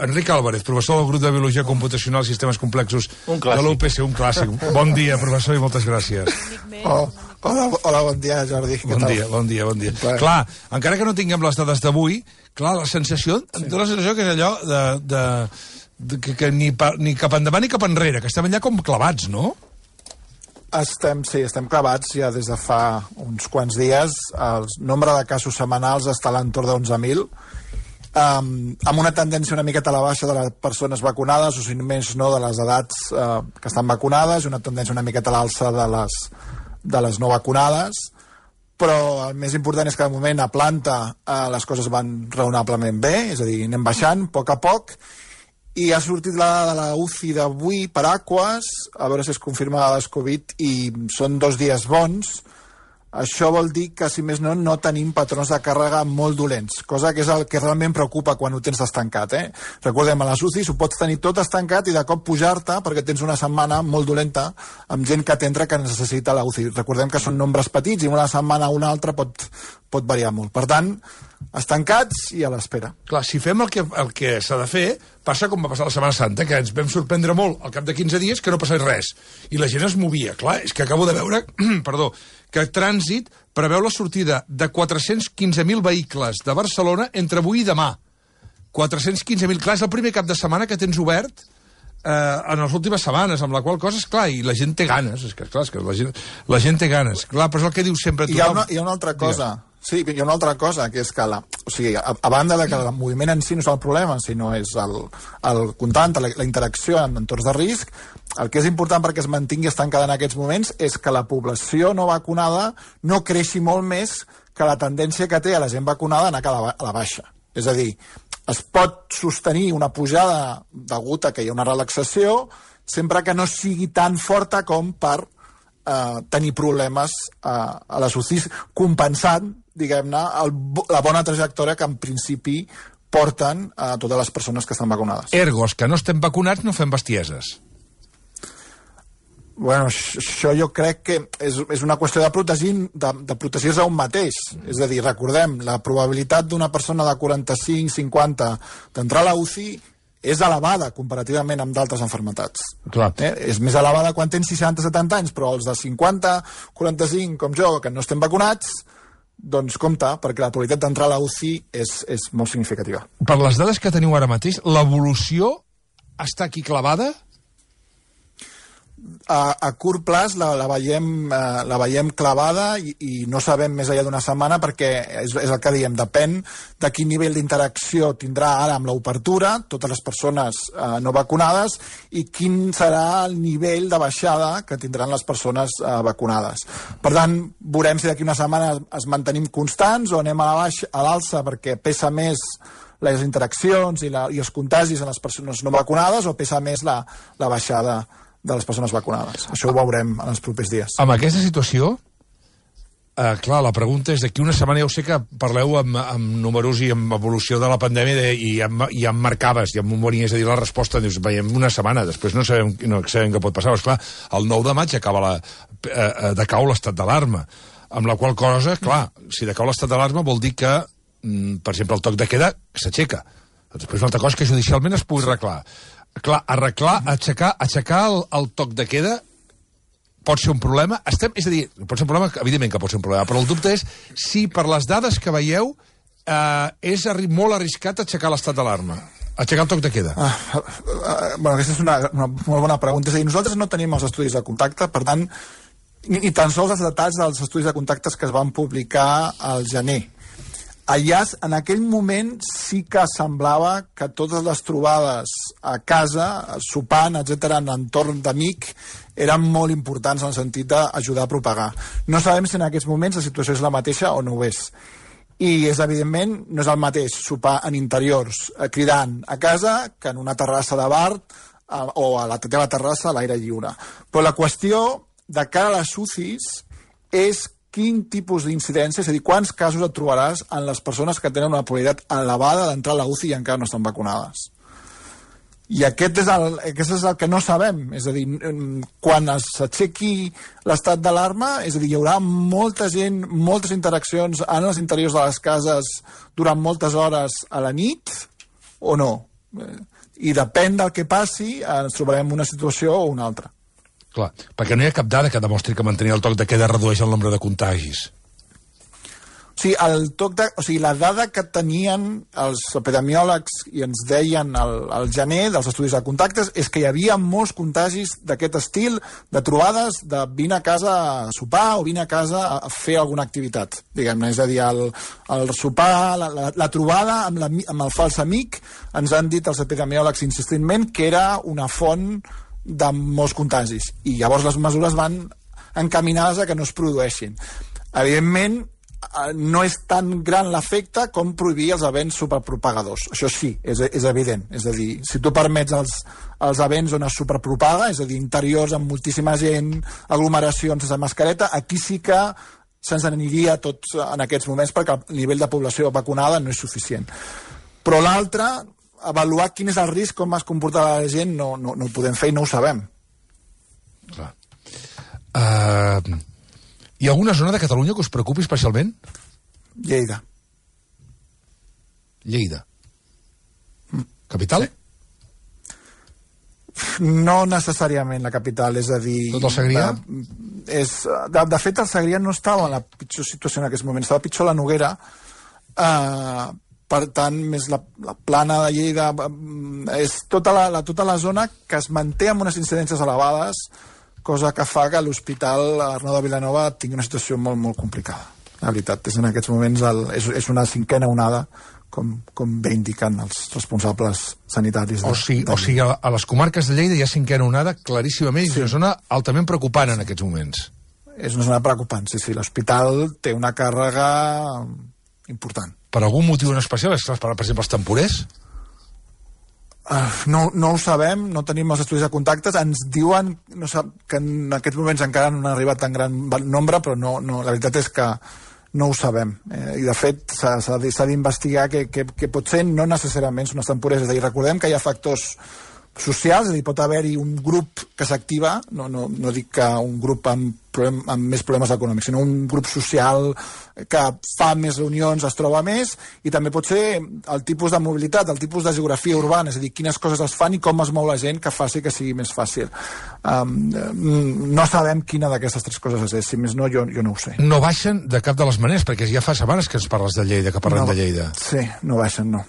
Enric Álvarez, professor del grup de Biologia Computacional i Sistemes Complexos de l'UPC, un clàssic. Bon dia, professor, i moltes gràcies. Hola, bon dia, Jordi. Bon dia. Clar, encara que no tinguem les dades d'avui, clar, la sensació, la sensació que és allò que ni cap endavant ni cap enrere, que estem allà com clavats, no? Estem clavats ja des de fa uns quants dies. El nombre de casos setmanals està a l'entorn de 11.000, amb una tendència una miqueta a la baixa de les persones vacunades, o si més no de les edats que estan vacunades, i una tendència una miqueta a l'alça de les no vacunades, però el més important és que de moment a planta les coses van raonablement bé, és a dir, anem baixant a poc, i ha sortit la dada de la UCI d'avui per Aquas, a veure si es confirma la de Covid, i són 2 dies bons. Això vol dir que, si més no tenim patrons de càrrega molt dolents, cosa que és el que realment preocupa quan ho tens estancat. Recordem, a les UCIs ho pots tenir tot estancat i de cop pujar-te perquè tens una setmana molt dolenta amb gent que t'entra que necessita la UCI. Recordem que són nombres petits i una setmana o una altra pot variar molt. Per tant, estancats i a l'espera. Clar, si fem el que s'ha de fer, passa com va passar la Setmana Santa, que ens vam sorprendre molt al cap de 15 dies que no passés res. I la gent es movia. Clar, és que acabo de veure que Trànsit preveu la sortida de 415.000 vehicles de Barcelona entre avui i demà. 415.000. Clar, és el primer cap de setmana que tens obert en les últimes setmanes, amb la qual cosa, és clar, i la gent té ganes. És que la gent té ganes. Clar, però és el que diu sempre tothom. Hi ha una altra cosa. Sí, hi ha una altra cosa, que és que a banda de que el moviment en si no és el problema, sinó és el comptant, la interacció en entorns de risc, el que és important perquè es mantingui estancada en aquests moments és que la població no vacunada no creixi molt més que la tendència que té a la gent vacunada a anar a la baixa. És a dir, es pot sostenir una pujada degut a que hi ha una relaxació sempre que no sigui tan forta com per tenir problemes a les UCIs, compensant, diguem-ne, la bona trajectòria que en principi porten a totes les persones que estan vacunades. Ergos, que no estem vacunats, no fem bestieses. Bueno, això jo crec que és una qüestió de protegir-se a un mateix. És a dir, recordem, la probabilitat d'una persona de 45-50 d'entrar a la UCI és elevada comparativament amb d'altres malalties. És més elevada quan tens 60-70 anys, però els de 50-45, com jo, que no estem vacunats, doncs compte, perquè la probabilitat d'entrar a la UCI és molt significativa. Per les dades que teniu ara mateix, l'evolució està aquí clavada? A curt plaç la veiem clavada i no sabem més enllà d'una setmana, perquè és el que diem, depèn de quin nivell d'interacció tindrà ara amb l'obertura totes les persones no vacunades i quin serà el nivell de baixada que tindran les persones vacunades. Per tant, veurem si d'aquí una setmana es mantenim constants o anem a l'alça perquè pesa més les interaccions i els contagis en les persones no vacunades, o pesa més la baixada de les persones vacunades. Això ho veurem en els propers dies. Amb aquesta situació, clar, la pregunta és d'aquí una setmana, ja ho sé que parleu amb números i amb evolució de la pandèmia i em marcaves, i em venies a dir la resposta, dius, veiem una setmana, després no sabem què pot passar. Però, esclar, el 9 de maig acaba decau l'estat d'alarma, amb la qual cosa, clar, si decau l'estat d'alarma vol dir que, per exemple, el toc de queda s'aixeca. Després una altra cosa que judicialment es pugui arreglar. Clar, aixecar el toc de queda pot ser un problema. És a dir, pot ser un problema, evidentment que pot ser un problema, però el dubte és si per les dades que veieu és molt arriscat aixecar l'estat d'alarma, aixecar el toc de queda. Bueno, aquesta és una molt bona pregunta. És a dir, nosaltres no tenim els estudis de contacte, per tant, ni tan sols els detalls dels estudis de contactes que es van publicar al gener. Allà, en aquell moment, sí que semblava que totes les trobades a casa, sopant, etc., en entorn d'amic, eren molt importants en el sentit d'ajudar a propagar. No sabem si en aquests moments la situació és la mateixa o no ho és. I, evidentment, no és el mateix sopar en interiors cridant a casa que en una terrassa de bar o a la teva terrassa a l'aire lliure. Però la qüestió de cara a les UCIs és quin tipus d'incidència, és a dir, quants casos et trobaràs en les persones que tenen una probabilitat elevada d'entrar a la UCI i encara no estan vacunades. I aquest és el que no sabem. És a dir, quan s'aixequi l'estat d'alarma, és a dir, hi haurà molta gent, moltes interaccions en els interiors de les cases durant moltes hores a la nit, o no? I depèn del que passi, ens trobarem una situació o una altra. Clar, perquè no hi ha cap dada que demostri que mantenir el toc de queda redueix el nombre de contagis. O sigui, la dada que tenien els epidemiòlegs i ens deien al gener dels estudis de contactes és que hi havia molts contagis d'aquest estil, de trobades, de vine a casa a sopar o vine a casa a fer alguna activitat, diguem-ne. És a dir, el sopar, la trobada amb el fals amic, ens han dit els epidemiòlegs insistentment que era una font de molts contagis. I llavors les mesures van encaminades a que no es produeixin. Evidentment, no és tan gran l'efecte com prohibir els events superpropagadors. Això sí, és evident. És a dir, si tu permets els events on es superpropaga, és a dir, interiors amb moltíssima gent, aglomeracions sense mascareta, aquí sí que se'ns aniria tots en aquests moments perquè el nivell de població vacunada no és suficient. Però l'altre, avaluar quin és el risc, com es comporta la gent, no ho podem fer i no ho sabem. Clar. Hi ha alguna zona de Catalunya que us preocupi especialment? Lleida. Lleida. Capital? Sí. No necessàriament la capital, és a dir... Tot el Segrià? De fet, el Segrià no estava en la pitjor situació en aquest moment, estava pitjor la Noguera, per tant, més la plana de Lleida, és tota la zona que es manté amb unes incidències elevades, cosa que fa que l'Hospital Arnau de Vilanova tingui una situació molt, molt complicada. La veritat, en aquests moments és una cinquena onada, com bé indiquen els responsables sanitaris. O sigui, a les comarques de Lleida hi ha cinquena onada claríssimament, sí. És una zona altament preocupant en aquests moments. És una zona preocupant, sí. L'hospital té una càrrega important. Per algun motiu en especial? És que, per exemple, els temporers? No ho sabem, no tenim els estudis de contactes, ens diuen que en aquests moments encara no han arribat tan gran nombre, però no, la veritat és que no ho sabem. I de fet s'ha d'investigar què pot ser, no necessàriament són els temporers. És a dir, recordem que hi ha factors socials, és a dir, pot haver-hi un grup que s'activa, no dic que un grup amb més problemes econòmics, sinó un grup social que fa més reunions, es troba més, i també pot ser el tipus de mobilitat, el tipus de geografia urbana, és a dir, quines coses es fan i com es mou la gent que faci que sigui més fàcil. No sabem quina d'aquestes tres coses és, si més no, jo no ho sé. No baixen de cap de les maneres, perquè ja fa setmanes que ens parles de Lleida, que parlem de Lleida. Sí, no baixen, no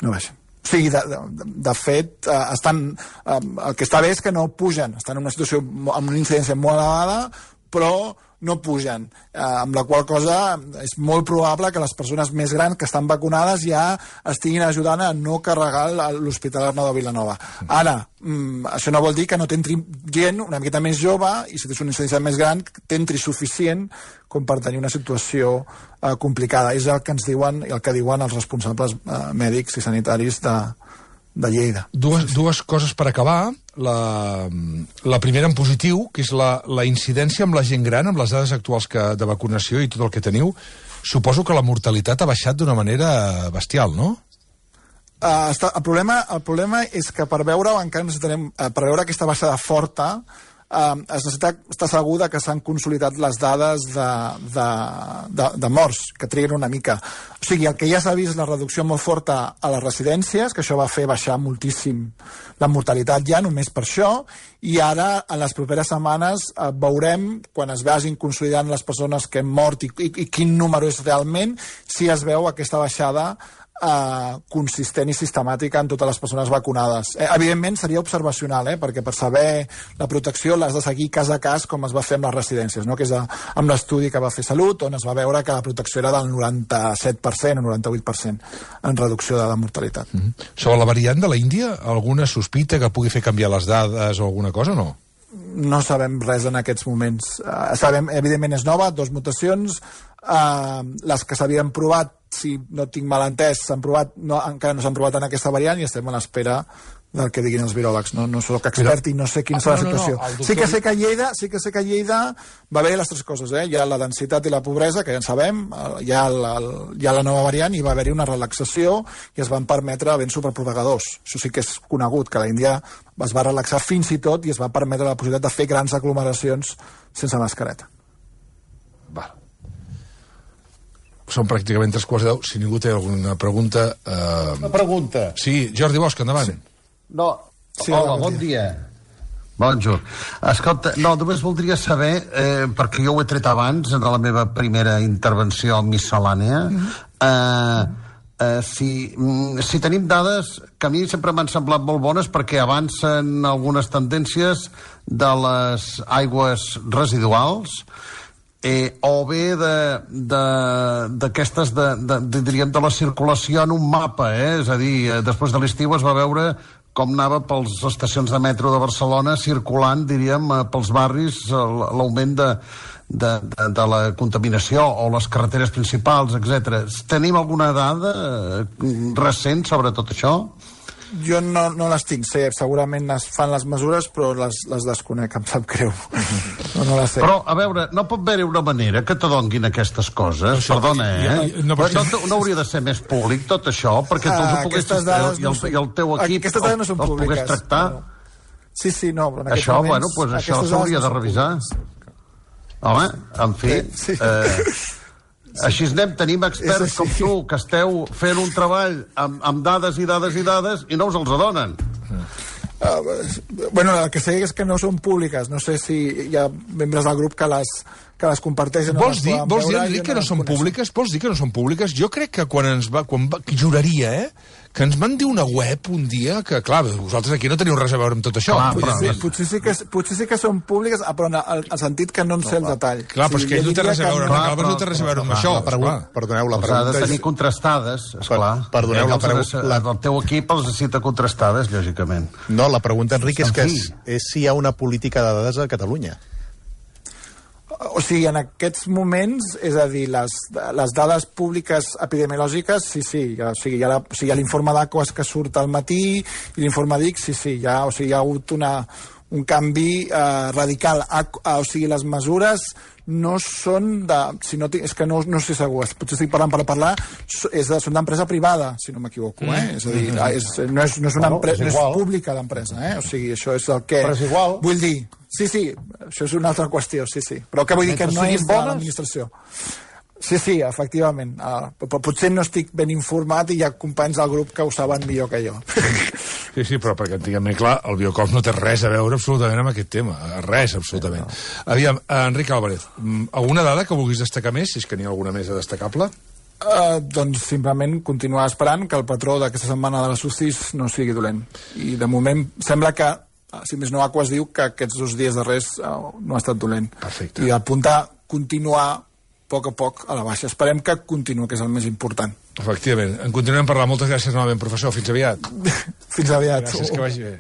baixen. O sigui, de fet, el que està bé és que no pugen, estan en una situació amb una incidència molt elevada, però no pugen, amb la qual cosa és molt probable que les persones més grans que estan vacunades ja estiguin ajudant a no carregar l'Hospital Arnau de Vilanova. Ara, això no vol dir que no t'entri gent una miqueta més jove i si tens una incidència més gran t'entri suficient com per tenir una situació complicada. És el que ens diuen i el que diuen els responsables mèdics i sanitaris de Lleida. Dues coses per acabar. La primera en positiu, que és la incidència amb la gent gran, amb les dades actuals de vacunació i tot el que teniu. Suposo que la mortalitat ha baixat d'una manera bestial, no? El problema és que per veure aquesta baixada forta es necessita estar segur que s'han consolidat les dades de morts, que triguen una mica. O sigui, el que ja s'ha vist la reducció molt forta a les residències, que això va fer baixar moltíssim la mortalitat ja, només per això, i ara, en les properes setmanes, veurem, quan es vagin consolidant les persones que han mort i quin número és realment, si es veu aquesta baixada consistent i sistemàtica en totes les persones vacunades. Evidentment seria observacional, perquè per saber la protecció l'has de seguir cas a cas com es va fer amb les residències, no? Que és amb l'estudi que va fer Salut, on es va veure que la protecció era del 97% o 98% en reducció de la mortalitat. Sobre la variant de la Índia, alguna sospita que pugui fer canviar les dades o alguna cosa o no? No sabem res en aquests moments. Sabem, evidentment és nova, 2 mutacions, les que s'havien provat, si no tinc mal entès, encara no s'han provat en aquesta variant i estem a l'espera del que diguin els viròlegs. No soc expert i no sé quina serà la situació. Sí que sé que a Lleida va haver les 3 coses. Hi ha la densitat i la pobresa, que ja en sabem, hi ha la nova variant i va haver-hi una relaxació i es van permetre events superpropagadors. Això sí que és conegut, que la Índia es va relaxar fins i tot i es va permetre la possibilitat de fer grans aglomeracions sense mascareta. Val. són pràcticament 3:15. Si ningú té alguna pregunta... Una pregunta. Sí, Jordi Bosch, endavant. Sí. No, sí, hola, bon dia. Bonjour. Escolta, no, només voldria saber, perquè jo ho he tret abans, en la meva primera intervenció miscel·lània, si tenim dades que a mi sempre m'han semblat molt bones perquè avancen algunes tendències de les aigües residuals, o bé d'aquestes diríem de la circulació en un mapa, és a dir, després de l'estiu es va veure com anava per les estacions de metro de Barcelona circulant, diríem, pels barris l'augment de la contaminació o les carreteres principals, etc. Tenim alguna dada recent sobre tot això? Jo no les tinc, segurament es fan les mesures, però les desconec, em sap greu. No les sé. Però, a veure, no pot haver-hi una manera que t'adonguin aquestes coses? Perdona, no hauria de ser més públic tot això, perquè tu ho poguessis i el teu equip els pogués tractar? Sí, no, però en aquests això, moments... Bueno, doncs això s'hauria de revisar. Home, en fi... Així tenim experts com tu, que esteu fent un treball amb dades i dades i dades i no us els adonen. Bueno, el que sé és que no són públiques. No sé si hi ha membres del grup que les comparteixen. Vols dir, Enric, que no són públiques? Vols dir que no són públiques? Jo crec que quan juraria, que ens van dir una web un dia que, clar, vosaltres aquí no teniu res a veure amb tot això. Potser sí que són públiques, però en el sentit que no en sé el detall. Clar, però és que ell no té res a veure, no té res a veure amb això. Perdoneu, la pregunta ha de tenir contrastades, esclar. Perdoneu, el teu equip els necessita contrastades, lògicament. No, la pregunta, Enric, és si hi ha una política de dades a Catalunya. O sigui, en aquests moments, és a dir, les dades públiques epidemiològiques, sí. O sigui, hi ha l'informe d'Aquas que surt al matí i l'informe d'IC, sí. Hi ha hagut un canvi radical. O sigui, les mesures no són de... és que no estic segur, potser estic parlant per parlar, són d'empresa privada, si no m'equivoco, És a dir, no és una empresa, no és pública l'empresa, O sigui, això és el que... Però és igual. Vull dir, sí, això és una altra qüestió, sí. Però què vull dir? Que no és de l'administració. Sí, efectivament. Però potser no estic ben informat i hi ha companys del grup que ho saben millor que jo. Sí, però perquè tinguem clar, el Biocop no té res a veure absolutament amb aquest tema. Res, absolutament. Aviam, Enric Álvarez, alguna dada que vulguis destacar més, si és que n'hi ha alguna més destacable? Doncs simplement continuar esperant que el patró d'aquesta setmana de les UCIs no sigui dolent. I de moment sembla que, si més no, Aquas diu que aquests 2 dies darrers no ha estat dolent. Perfecte. I apuntar, continuar a poc a la baixa. Esperem que continuï, que és el més important. Efectivament. En continuem parlant. Moltes gràcies novament, professor. Fins aviat. Fins aviat. Gràcies, que vagi bé.